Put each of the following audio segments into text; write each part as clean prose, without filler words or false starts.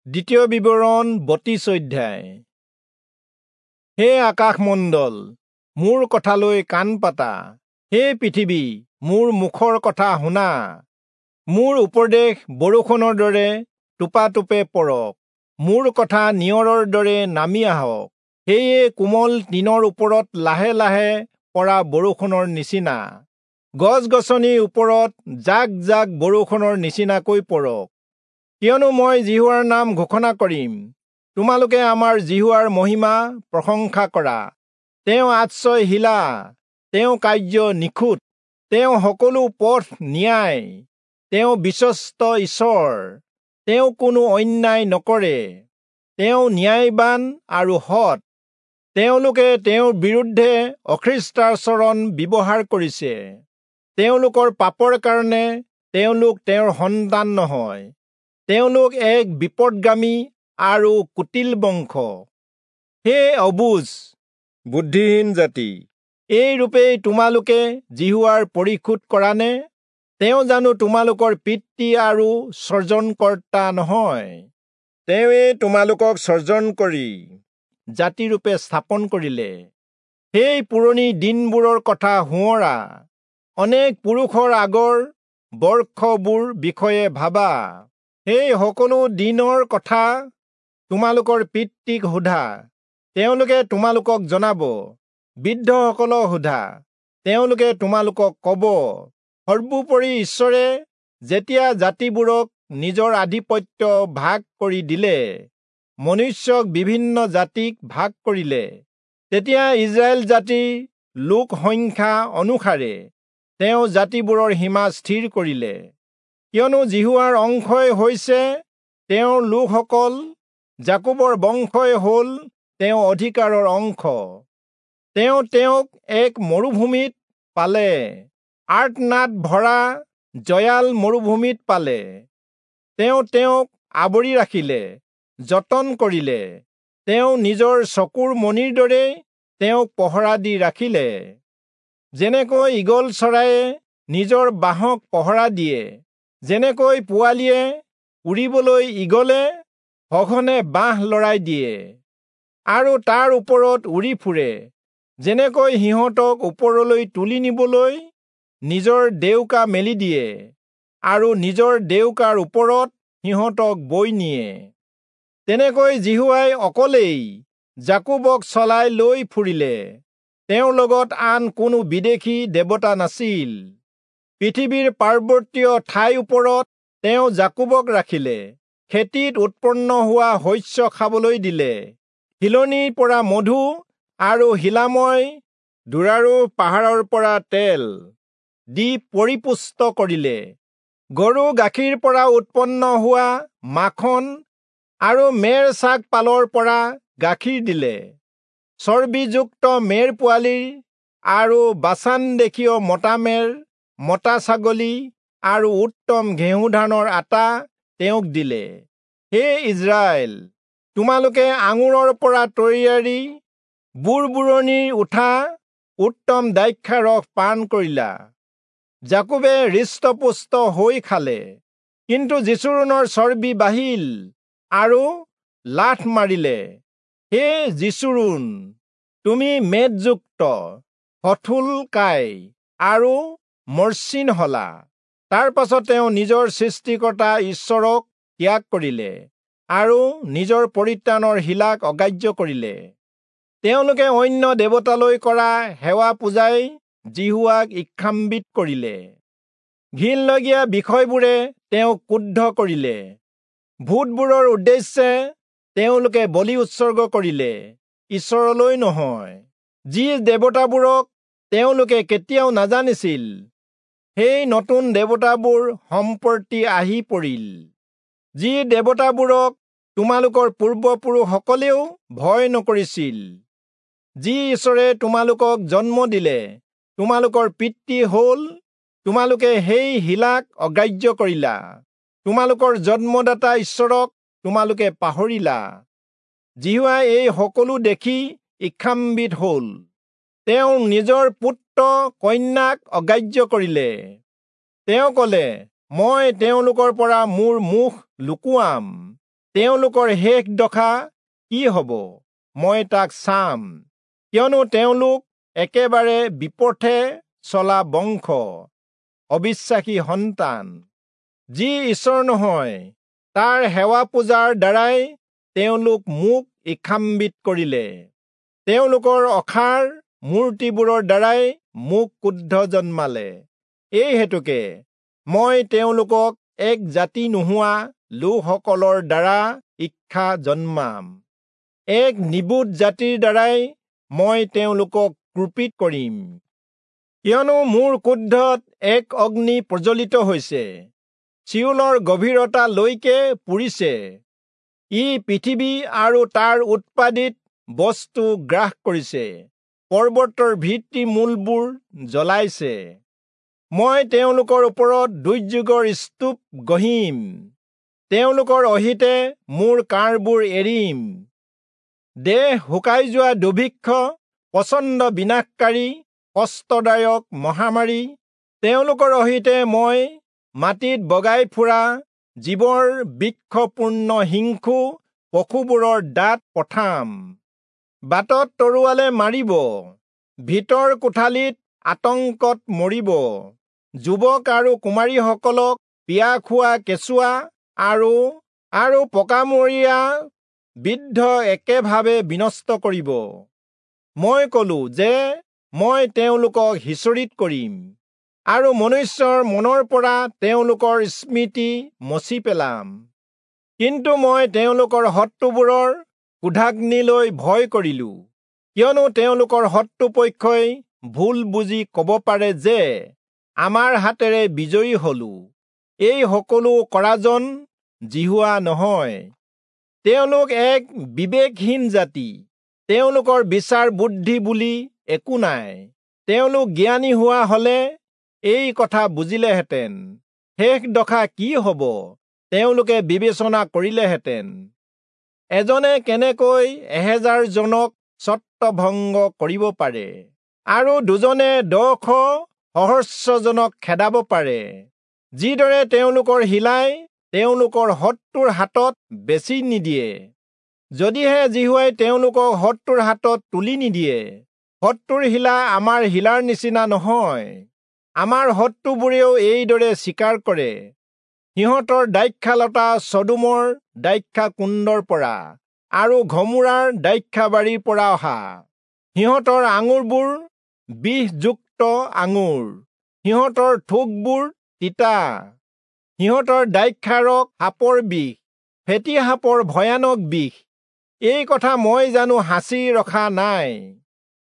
দ্বিতীয় বিৱৰণ 32 অধ্যায়। হে আকাশমণ্ডল, মোৰ কথালৈ কাণ পাতা, হে পৃথিৱী, মোৰ মুখৰ কথা শুনা। মোৰ উপদেশ বৰষুণৰ দৰে টোপাটোপে পৰক, মোৰ কথা নিয়ৰৰ দৰে নামি আহক। সেয়ে কোমল তৃণৰ ওপৰত লাহে লাহে পৰা বৰষুণৰ নিচিনা, গছ গছনিৰ ওপৰত জাক জাক বৰষুণৰ নিচিনাকৈ পৰক। কিয়নো মই যিহোৱাৰ নাম ঘোষণা কৰিম, তোমালোকে আমাৰ যিহোৱাৰ মহিমা প্ৰশংসা কৰা। তেওঁ আশ্ৰয় শিলা, তেওঁ কাৰ্য নিখুঁত, তেওঁ সকলো পথ ন্যায়, তেওঁ বিশ্বস্ত ঈশ্বৰ, তেওঁ কোনো অন্যায় নকৰে, তেওঁ ন্যায়বান আৰু সৎ। তেওঁলোকে তেওঁৰ বিৰুদ্ধে অখ্ৰীষ্টাচৰণ ব্যৱহাৰ কৰিছে, তেওঁলোকৰ পাপৰ কাৰণে তেওঁলোক তেওঁৰ সন্তান নহয়, তেওঁলোক এক বিপদগামী আৰু কুটিল বংশ। হে অবুজ বুদ্ধিহীন জাতি, এই ৰূপেই তোমালোকে যিহোৱাৰ পৰিশোধ কৰানে? তেওঁ জানো তোমালোকৰ পিতৃ আৰু সৰ্জনকৰ্তা নহয়? তেওঁৱেই তোমালোকক সৰ্জন কৰি জাতিৰূপে স্থাপন কৰিলে। সেই পুৰণি দিনবোৰৰ কথা সোঁৱৰা, অনেক পুৰুষৰ আগৰ বৰ্ষবোৰ বিষয়ে ভাবা। সেই সকলো দিনৰ কথা তোমালোকৰ পিতৃক সোধা, তেওঁলোকে তোমালোকক জনাব। বৃদ্ধসকলক সোধা, তেওঁলোকে তোমালোকক কব। সৰ্বোপৰি ঈশ্বৰে যেতিয়া জাতিবোৰক নিজৰ আধিপত্য ভাগ কৰি দিলে, মনুষ্যক বিভিন্ন জাতিক ভাগ কৰিলে, তেতিয়া ইস্ৰায়েল জাতিৰ লোক সংখ্যা অনুসাৰে তেওঁ জাতিবোৰৰ সীমা স্থিৰ কৰিলে। কিয়নো যিহোৱাৰ অংশই হৈছে তেওঁৰ লোকসকল, যাকোবৰ বংশই হ'ল তেওঁ অধিকাৰৰ অংশ। তেওঁ তেওঁক এক মৰুভূমিত পালে, আৰ্তনাদ ভৰা জয়াল মৰুভূমিত পালে। তেওঁ তেওঁক আৱৰি ৰাখিলে, যতন কৰিলে, তেওঁ নিজৰ চকুৰ মণিৰ দৰে তেওঁক পহৰা দি ৰাখিলে। যেনেকৈ ঈগল চৰায়ে নিজৰ বাঁহক পহৰা দিয়ে, যেনেকৈ পোৱালিয়ে উৰিবলৈ ঈগলে সঘনে বাঁহ লৰাই দিয়ে আৰু তাৰ ওপৰত উৰি ফুৰে, যেনেকৈ সিহঁতক ওপৰলৈ তুলি নিবলৈ নিজৰ ডেউকা মেলি দিয়ে আৰু নিজৰ ডেউকাৰ ওপৰত সিহঁতক বৈ নিয়ে, তেনেকৈ যিহোৱাই অকলেই যাকোবক চলাই লৈ ফুৰিলে। তেওঁৰ লগত আন কোনো বিদেশী দেৱতা নাছিল। পৃথিৱীৰ পাৰ্বতীয় ঠাইৰ ওপৰত তেওঁ যাকোবক ৰাখিলে, খেতিত উৎপন্ন হোৱা শস্য খাবলৈ দিলে, শিলনিৰ পৰা মধু আৰু শিলাময় দূৰাৰোহ পাহাৰৰ পৰা তেল দি পৰিপুষ্ট কৰিলে। গৰু গাখীৰ পৰা উৎপন্ন হোৱা মাখন আৰু মেৰ ছাগ পালৰ পৰা গাখীৰ দিলে। চৰ্বিযুক্ত মেৰ পোৱালিৰ আৰু বাচান দেশীয় মতা মেৰ, মতা ছাগলী আৰু উত্তম ঘেঁহু ধানৰ আটা তেওঁক দিলে। হে ইস্ৰায়েল, তোমালোকে আঙুৰৰ পৰা তৈয়াৰী বুৰবুৰণিৰ উঠা উত্তম দ্ৰাক্ষাৰস পান কৰিলা। যাকোবে হৃষ্টপুষ্ট হৈ খালে, কিন্তু যিচূৰণৰ চৰ্বি বাঢ়িল আৰু লাঠ মাৰিলে। হে যিচূৰূণ, তুমি মেদযুক্ত, সথূলকায় আৰু মসৃণ হলা। তাৰ পাছত তেওঁ নিজৰ সৃষ্টিকৰ্তা ঈশ্বৰক ত্যাগ কৰিলে আৰু নিজৰ পৰিত্ৰাণৰ শিলাক অগ্ৰাহ্য কৰিলে। তেওঁলোকে অন্য দেৱতালৈ কৰা সেৱা পূজাই যিহোৱাক ঈৰ্ষান্বিত কৰিলে। ঘিণলগীয়া বিষয়বোৰে তেওঁক ক্ৰুদ্ধ কৰিলে। ভূতবোৰৰ উদ্দেশ্যে তেওঁলোকে বলি উৎসৰ্গ কৰিলে, ঈশ্বৰলৈ নহয়। যি দেৱতাবোৰক তেওঁলোকে কেতিয়াও নাজানিছিল, সেই নতুন দেৱতাবোৰ সম্প্ৰতি আহি পৰিল। যি দেৱতাবোৰক তোমালোকৰ পূৰ্বপুৰুষসকলেও ভয় নকৰিছিল, যি ঈশ্বৰে তোমালোকক জন্ম দিলে, তোমালোকৰ পিতৃ হ'ল, তোমালোকে সেই শিলাক অগ্ৰাহ্য কৰিলা। তোমালোকৰ জন্মদাতা ঈশ্বৰক তোমালোকে পাহৰিলা। যিহোৱাই এই সকলো দেখি ঈৰ্ষান্বিত হ'ল। তেওঁ নিজৰ পুত্ৰ কন্যাক অগ্ৰাহ্য কৰিলে। তেওঁ কলে, মই তেওঁলোকৰ পৰা মোৰ মুখ লুকুৱাম। তেওঁলোকৰ শেষ দশা কি হ'ব মই তাক চাম, কিয়নো তেওঁলোক একেবাৰে বিপথে চলা বংশ, অবিশ্বাসী সন্তান। যি ঈশ্বৰ নহয় তাৰ সেৱা পূজাৰ দ্বাৰাই তেওঁলোক মোক ঈৰ্ষান্বিত কৰিলে। তেওঁলোকৰ অসাৰ মূৰ্তিবোৰৰ দ্বাৰাই মোক ক্ৰোধ জন্মালে। এই হেতুকে মই তেওঁলোকক এক জাতি নোহোৱা লোকসকলৰ দ্বাৰা ঈৰ্ষা জন্মাম, এক নিবোধ জাতিৰ দ্বাৰাই মই তেওঁলোকক কুপিত কৰিম। কিয়নো মোৰ ক্ৰোধত এক অগ্নি প্ৰজ্বলিত হৈছে, চিয়োলৰ গভীৰতালৈকে পুৰিছে। ই পৃথিৱী আৰু তাৰ উৎপাদিত বস্তু গ্ৰাস কৰিছে, পৰ্বতৰ ভিত্তি মূলবোৰ জ্বলাইছে। মই তেওঁলোকৰ ওপৰত দুৰ্যোগৰ স্তূপ গঢ়িম, তেওঁলোকৰ অহিতে মোৰ কাঁড়বোৰ এৰিম। দেহ শুকাই যোৱা দুৰ্ভিক্ষ, প্ৰচণ্ড বিনাশকাৰী কষ্টদায়ক মহামাৰী, তেওঁলোকৰ অহিতে মই মাটিত বগাই ফুৰা জীৱৰ বৃক্ষপূৰ্ণ হিংসু পশুবোৰৰ দাঁত পঠাম। বাটত তৰোৱালে মাৰিব, ভিতৰ কোঠালিত আতংকত মৰিব। যুৱক আৰু কুমাৰীসকলক পিয়া খোৱা কেঁচুৱা আৰু আৰু পকামূৰীয়া বৃদ্ধ একেভাৱে বিনষ্ট কৰিব। মই কলো যে মই তেওঁলোকক সিঁচৰিত কৰিম আৰু মনুষ্যৰ মনৰ পৰা তেওঁলোকৰ স্মৃতি মচি পেলাম। কিন্তু মই তেওঁলোকৰ শত্ৰুবোৰৰ ক্ৰোধাগ্নিলৈ ভয় কৰিলো, কিয়নো তেওঁলোকৰ শত্ৰুপক্ষই ভুল বুজি কব পাৰে যে আমাৰ হাতেৰে বিজয়ী হলো, এই সকলো কৰাজন যিহোৱা নহয়। তেওঁলোক এক বিবেকহীন জাতি, তেওঁলোকৰ বিচাৰ বুদ্ধি বুলি একো নাই। তেওঁলোক জ্ঞানী হোৱা হলে এই কথা বুজিলেহেঁতেন, শেষ দশা কি হ'ব তেওঁলোকে বিবেচনা কৰিলেহেঁতেন। এজনে কেনেকৈ 1000 জনক ছত্ৰভংগ কৰিব পাৰে আৰু দুজনে 10 সহস্ৰজনক খেদাব পাৰে, যিদৰে তেওঁলোকৰ শিলাই তেওঁলোকৰ শত্ৰুৰ হাতত বেচি নিদিয়ে। যদিহে যিহোৱাই তেওঁলোকক শত্ৰুৰ হাতত তুলি নিদিয়ে, শত্ৰুৰ শিলা আমাৰ শিলাৰ নিচিনা নহয়। আমাৰ শত্ৰুবোৰেও এইদৰে স্বীকাৰ কৰে। সিহঁতৰ দ্ৰাক্ষালতা চদোমৰ দ্ৰাক্ষাকুণ্ডৰ পৰা আৰু ঘমোৰাৰ দ্ৰাক্ষাবাৰীৰ পৰা অহা। সিহঁতৰ আঙুৰবোৰ বিষযুক্ত আঙুৰ, সিহঁতৰ থোকবোৰ তিতা। সিহঁতৰ দ্ৰাক্ষাৰস সাপৰ বিষ, ফেঁটী সাপৰ ভয়ানক বিষ। এই কথা মই জানো সাঁচি ৰখা নাই,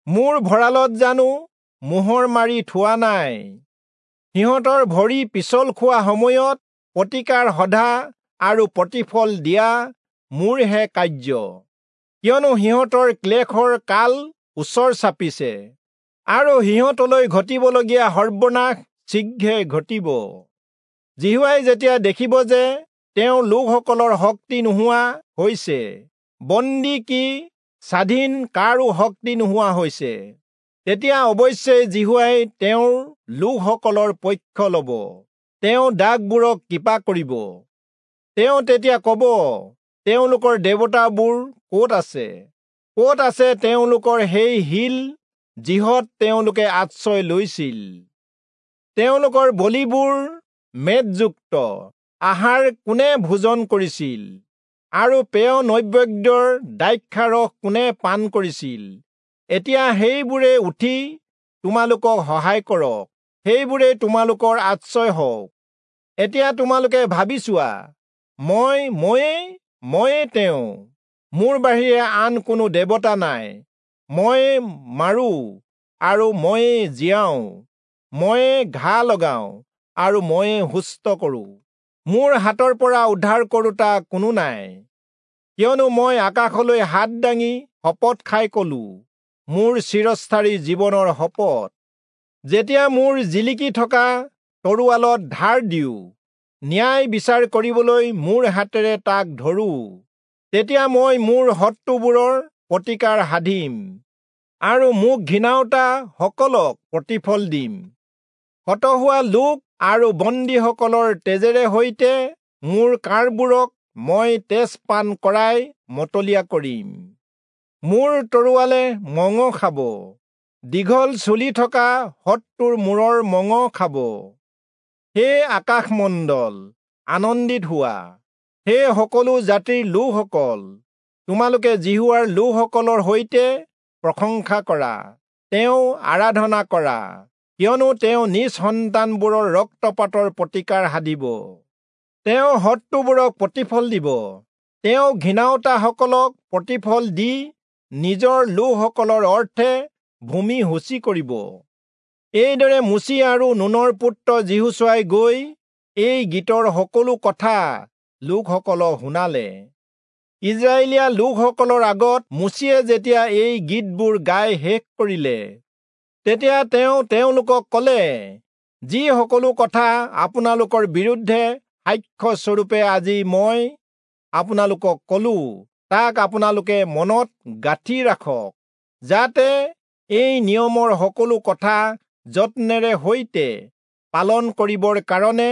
মোৰ ভঁৰালত জানো মোহৰ মাৰি থোৱা নাই? সিহঁতৰ ভৰি পিছল খোৱা সময়ত প্ৰতিকাৰ সধা আৰু প্ৰতিফল দিয়া মোৰহে কাৰ্য, কিয়নো সিহঁতৰ ক্লেশৰ কাল ওচৰ চাপিছে আৰু সিহঁতলৈ ঘটিবলগীয়া সৰ্বনাশ শীঘ্ৰে ঘটিব। যিহোৱাই যেতিয়া দেখিব যে তেওঁৰ লোকসকলৰ শক্তি নোহোৱা হৈছে, বন্দী কি স্বাধীন কাৰো শক্তি নোহোৱা হৈছে, তেতিয়া অৱশ্যে যিহোৱাই তেওঁৰ লোকসকলৰ পক্ষ ল'ব, তেওঁ দাগবোৰক কৃপা কৰিব। তেওঁ তেতিয়া ক'ব, তেওঁলোকৰ দেৱতাবোৰ ক'ত আছে? ক'ত আছে তেওঁলোকৰ সেই শিল যিহত তেওঁলোকে আশ্ৰয় লৈছিল? তেওঁলোকৰ বলিবোৰ মেদযুক্ত আহাৰ কোনে ভোজন কৰিছিল আৰু পেয় নৈবেদ্যৰ দ্ৰাক্ষাৰস কোনে পান কৰিছিল? এতিয়া সেইবোৰে উঠি তোমালোকক সহায় কৰক, সেইবোৰে তোমালোকৰ আশ্ৰয় হওক। এতিয়া তোমালোকে ভাবি চোৱা, ময়ে তেওঁ, মোৰ বাহিৰে আন কোনো দেৱতা নাই। ময়ে মাৰো আৰু ময়ে জীয়াওঁ, ময়ে ঘা লগাওঁ আৰু ময়ে সুস্থ কৰোঁ। মোৰ হাতৰ পৰা উদ্ধাৰ কৰোঁতা কোনো নাই। কিয়নো মই আকাশলৈ হাত দাঙি শপত খাই কলো, মোৰ চিৰস্থায়ী জীৱনৰ শপত, যেতিয়া মোৰ জিলিকি থকা তৰোৱালত ধাৰ দিওঁ, ন্যায় বিচাৰ কৰিবলৈ মোৰ হাতেৰে তাক ধৰো, তেতিয়া মই মোৰ শত্ৰুবোৰৰ প্ৰতিকাৰ সাধিম আৰু মোক ঘৃণাওতা সকলক প্ৰতিফল দিম। হত হোৱা লোক আৰু বন্দীসকলৰ তেজেৰে সৈতে মোৰ কাঁড়বোৰক মই তেজ পান কৰাই মতলীয়া কৰিম। মোৰ তৰোৱালে মঙহ খাব, দীঘল চুলি থকা শত্ৰুৰ মূৰৰ মঙহ খাব। হে আকাশমণ্ডল, আনন্দিত হোৱা। হে সকলো জাতিৰ লোকসকল, তোমালোকে যিহোৱাৰ লোকসকলৰ সৈতে প্ৰশংসা কৰা, তেওঁ আৰাধনা কৰা, কিয়নো তেওঁ নিজ সন্তানবোৰৰ ৰক্তপাতৰ প্ৰতিকাৰ সাধিব। তেওঁ শত্ৰুবোৰক প্ৰতিফল দিব, তেওঁ ঘৃণাওতাসকলক প্ৰতিফল দি নিজৰ লোকসকলৰ অৰ্থে ভূমি শুচি কৰিব। এইদৰে মোচি আৰু নুনৰ পুত্ৰ যিহোচূৱাই গৈ এই গীতৰ সকলো কথা লোকসকলক শুনালে। ইজৰাইলীয়া লোকসকলৰ আগত মোচিয়ে যেতিয়া এই গীতবোৰ গাই শেষ কৰিলে, তেতিয়া তেওঁ তেওঁলোকক ক'লে, যি সকলো কথা আপোনালোকৰ বিৰুদ্ধে সাক্ষ্যস্বৰূপে আজি মই আপোনালোকক ক'লো, তাক আপোনালোকে মনত গাঁঠি ৰাখক, যাতে এই নিয়মৰ সকলো কথা যত্নেৰে সৈতে পালন কৰিবৰ কাৰণে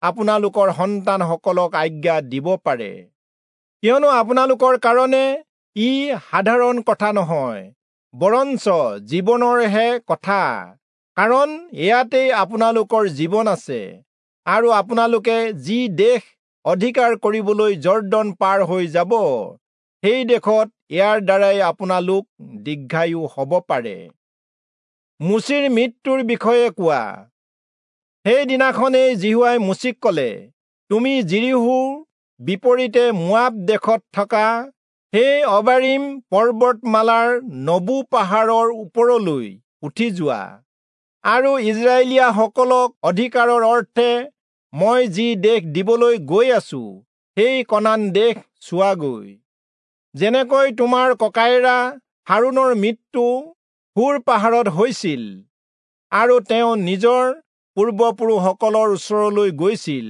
আপোনালোকৰ সন্তানসকলক আজ্ঞা দিব পাৰে। কিয়নো আপোনালোকৰ কাৰণে ই সাধাৰণ কথা নহয়, বৰঞ্চ জীৱনৰহে কথা, কাৰণ ইয়াতেই আপোনালোকৰ জীৱন আছে, আৰু আপোনালোকে যি দেশ অধিকাৰ কৰিবলৈ যৰ্দন পাৰ হৈ যাব, সেই দেশত ইয়াৰ দ্বাৰাই আপোনালোক দীৰ্ঘায়ু হ'ব পাৰে। মোচিৰ মৃত্যুৰ বিষয়ে কোৱা। সেইদিনাখনেই যিহোৱাই মোচিক ক'লে, তুমি যিৰীহোৰ বিপৰীতে মোৱাব দেশত থকা সেই অবাৰীম পৰ্বতমালাৰ নবু পাহাৰৰ ওপৰলৈ উঠি যোৱা, আৰু ইজৰাইলীয়াসকলক অধিকাৰৰ অৰ্থে মই যি দেশ দিবলৈ গৈ আছো, সেই কনান দেশ চোৱাগৈ। যেনেকৈ তোমাৰ ককায়েৰা হাৰোণৰ মৃত্যু হূৰ পাহাৰত হৈছিল, আৰু তেওঁ নিজৰ পূৰ্বপুৰুষসকলৰ ওচৰলৈ গৈছিল,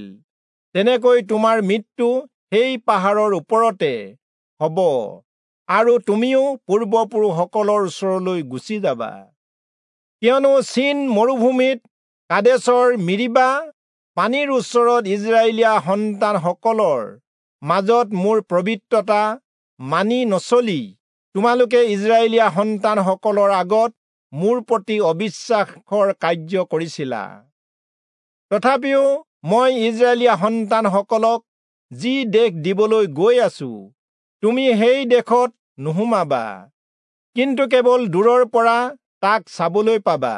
তেনেকৈ তোমাৰ মৃত্যু সেই পাহাৰৰ ওপৰতে হ'ব, আৰু তুমিও পূৰ্বপুৰুষসকলৰ ওচৰলৈ গুচি যাবা। কিয়নো চীন মৰুভূমিত কাদেশৰ মিৰিবা পানীৰ ওচৰত ইজৰাইলীয়া সন্তানসকলৰ মাজত মোৰ পবিত্ৰতা মানি নচলি তোমালোকে ইজৰাইলীয়া সন্তানসকলৰ আগত মোৰ প্ৰতি অবিশ্বাসৰ কাৰ্য কৰিছিলা। তথাপিও মই ইজৰাইলীয়া সন্তানসকলক যি দেশ দিবলৈ গৈ আছো, তুমি সেই দেশত নোসোমাবা, কিন্তু কেৱল দূৰৰ পৰা তাক চাবলৈ পাবা।